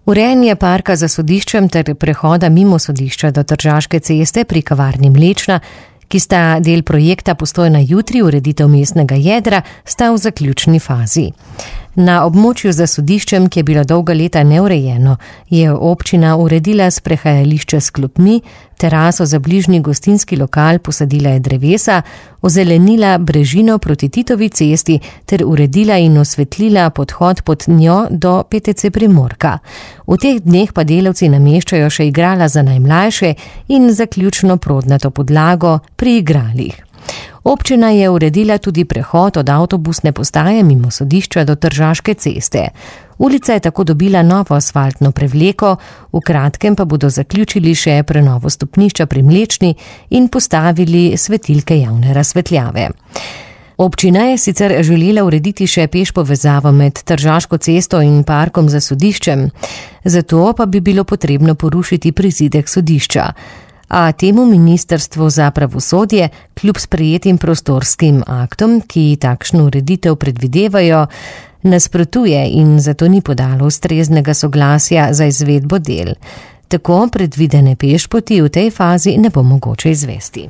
Urejanje parka za sodiščem ter prehoda mimo sodišča do Tržaške ceste pri kavarni Mlečna, ki sta del projekta Postojna jutri, ureditev mestnega jedra, sta v zaključni fazi. Na območju za sodiščem, ki je bilo dolga leta neurejeno, je občina uredila sprehajališče s klopmi, teraso za bližnji gostinski lokal, posadila je drevesa, ozelenila brežino proti Titovi cesti ter uredila in osvetlila podhod pod njo do PTC Primorka. V teh dneh pa delavci nameščajo še igrala za najmlajše in zaključno prodnato podlago pri igralih. Občina je uredila tudi prehod od avtobusne postaje mimo sodišča do Tržaške ceste. Ulica je tako dobila novo asfaltno prevleko, v kratkem pa bodo zaključili še prenovo stopnišča pri Mlečni in postavili svetilke javne razsvetljave. Občina je sicer želela urediti še peš povezavo med Tržaško cesto in parkom za sodiščem, zato pa bi bilo potrebno porušiti prizidek sodišča. A temu ministrstvo za pravosodje kljub sprejetim prostorskim aktom, ki takšno ureditev predvidevajo, nasprotuje in zato ni podalo ustreznega soglasja za izvedbo del. Tako predvidene pešpoti v tej fazi ne bo mogoče izvesti.